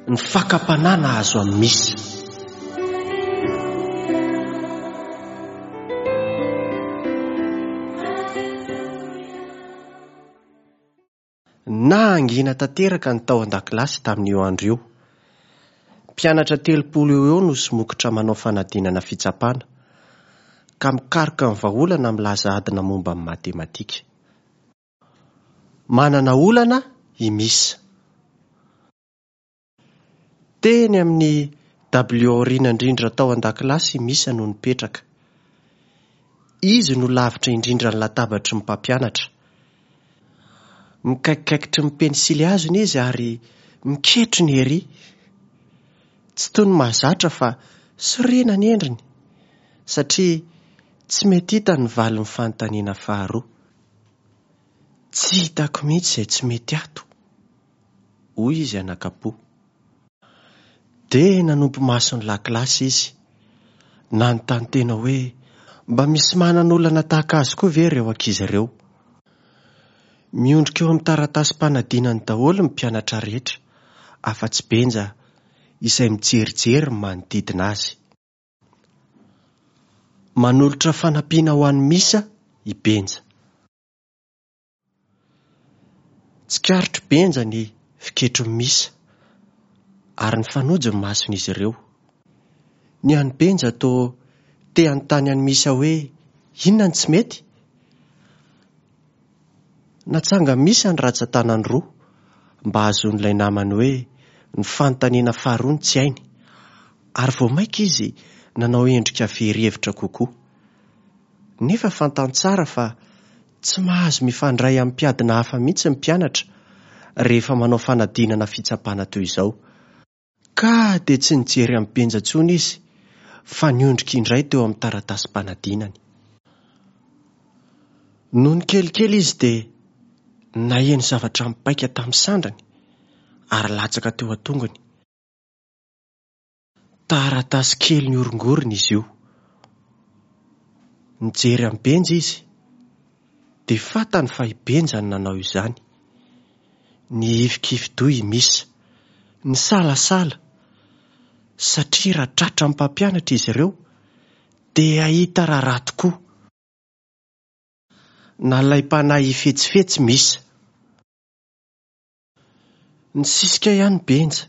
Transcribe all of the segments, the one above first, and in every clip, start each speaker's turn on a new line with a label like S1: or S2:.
S1: Ny fakam-panahy nahazo an'i Misa. Nahangina tanteraka ny tao an-dakilasy tamin'io andro io. Mpianatra 30 eo ho eo no somokotra manao fanadinana fitsapana, ka mikaroka ny vahaolana milaza adina momba ny matematika. Manana olana i Misa. Teny amin'ny dabilio aoriana indrindra tao an-dakilasy i Misa no nipetraka. Izy no lavitra indrindra ny latabatry ny mpampianatra. Mikaikikaikitry ny pensily hazony izy ary miketrona ery. Tsy toy ny mahazatra fa sorena ny endriny, satria tsy mety hitany ny valin'ny fanontaniana faharoa. Tsy hitako mihitsy izay tsy mety ato. Hoy izy anakam-po. Dia nanompo maso ny lakilasy izy, nanontany tena hoe mba misy manana olana tahaka azy koa ve ireo ankizy ireo. Miondrika eo amin'ny taratasim-panadinany daholo ny mpianatra rehetra, afa-tsy Benja izay mijerijery ny manodidina azy. Manolotra fanampiana ho an'i Misa i Benja. Tsikaritr'i Benja ny fiketron'i Misa ary nifanojo ny mason'izy ireo. Ny an'i Benja toa te hanontany an'i Misa hoe inona no tsy mety? Natsangan'i Misa ny ratsan-tanany roa mba hahazoan'ilay namany hoe ny fanontaniana faharoa no tsy hainy ary vao mainka izy nanao endrika very hevitra kokoa. Nefa fantany tsara fa Tsy mahazo mifandray amin'ny mpiadina hafa mihitsy ny mpianatra rehefa manao fanadinana fitsapana toy izao. Ka dia tsy nijery an'i Benja intsony izy fa niondrika indray teo amin'ny taratasim-panadinany. Nony kelikely izy dia naheno zavatra mipaika tamin'ny sandriny ary latsaka teo an-tongony. Taratasy kely nihorongorona izy io. Nijery an'i Benja izy, dia fantany fa i Benja no nanao izany. Nihifikifi-doha i Misa, nisalasala, satria raha tratran'ny mpampianatra izy ireo, dia hahita raharaha tokoa. Nalaim-panahy hifetsifetsy Misa. Nisisika ihany Benja,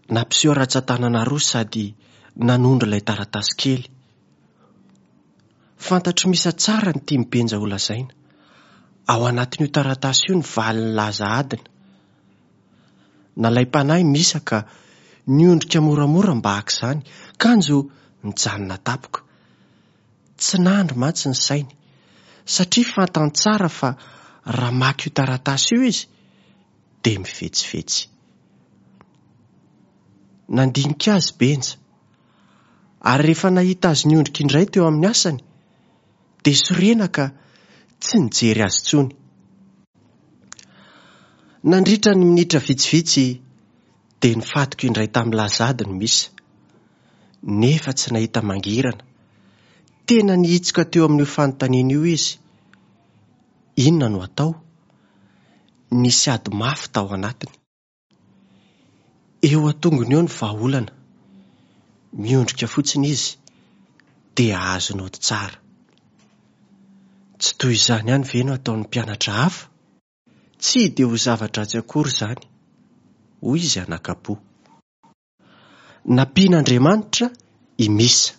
S1: nampiseho rantsan-tanana roa sady nanondro ilay taratasy kely. Fantatr'i Misa tsara ny tian'i Benja holazaina. Ao anatin'io taratasy io ny valin'ny laza adina. Nalaim-panahy Misa ka niondrika moramora mba haka izany, kanjo nijanona tampoka. Tsy nandry mantsy ny sainy, satria fantany tsara fa raha maka io taratasy io izy dia mifetsifetsy. Nandinika azy Benja, ary rehefa nahita azy niondrika indray teo amin'ny asany, dia sorena ka tsy nijery azy intsony. Nandritra ny minitra vitsivitsy dia nifatoka indray tamin'ny lazady ny misa, nefa tsy nahita mangirana. Tena nihitsoka teo amin'io fanontaniana io izy. Inona no atao? Nisy ady mafy tao anatiny. Eo an-tongony eo ny vahaolana. Miondrika fotsiny izy dia hahazo naoty tsara. Tsy toy izany ihany ve no ataon'ny mpianatra hafa? Tsy dia ho zava-dratsy akory izany, hoy izy anakam-po. Nampian'Andriamanitra i Misa.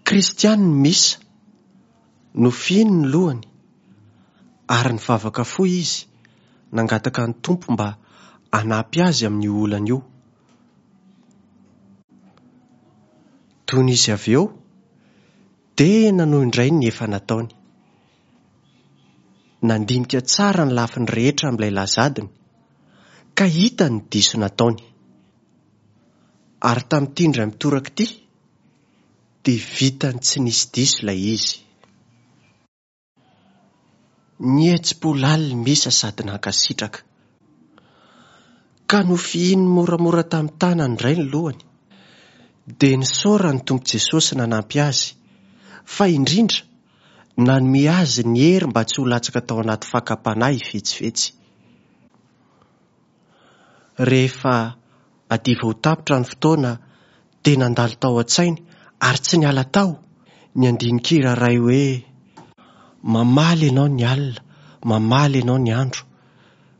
S1: Kristiana i Misa. Nofihiny ny lohany ary nivavaka fohy izy nangataka ny Tompo mba hanampy azy amin'io olana io. Tony izy avy eo dia nanohy indray ny efa nataony. Nandinika tsara ny lafiny rehetra amin'ilay lazadiny ka hitany ny diso nataony. Ary tamin'ity indray mitoraka ity dia vitany tsy nisy diso ilay izy. Nihetsi-po lalina i Misa sady nankasitraka. Ka nofihininy moramora tamin'ny tanany indray ny lohany. Dia nisaorany ny Tompo Jesosy nanampy azy, fa indrindra nanome azy ny hery mba tsy ho latsaka tao anaty fakam-panahy hifetsifetsy. Rehefa hadiva ho tapitra ny fotoana dia nandalo tao an-tsainy ary tsy niala tao ny andinin-kira iray hoe, Mamaly Ianao ny alina, mamaly Ianao ny andro,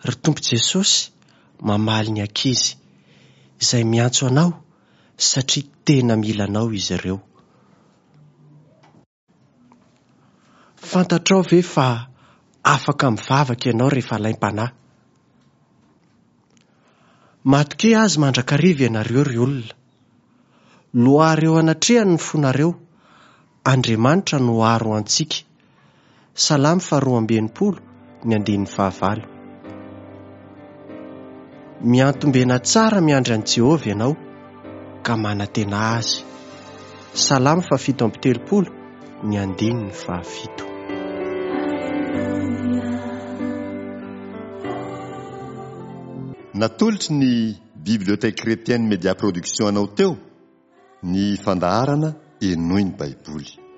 S1: ry Tompo Jesosy, mamaly ny ankizy izay miantso Anao satria tena mila Anao izy ireo. Fantatrao ve fa afaka mivavaka ianao rehefa alaim-panahy? Matokia Azy mandrakariva ianareo ry olona. Loary eo anatrehany ny fonareo, Andriamanitra no aro antsika. Salamo faharoa amby 60 ny andininy fahavalo. Miantombena tsara miandry an'i Jehovah ianao, ka manantena Azy. Salamo faha-37 ny andininy fahafito.
S2: Natolotry ny Bibliothèque Chrétienne Média Production anao teo ny fandaharana Henoy ny Baiboly.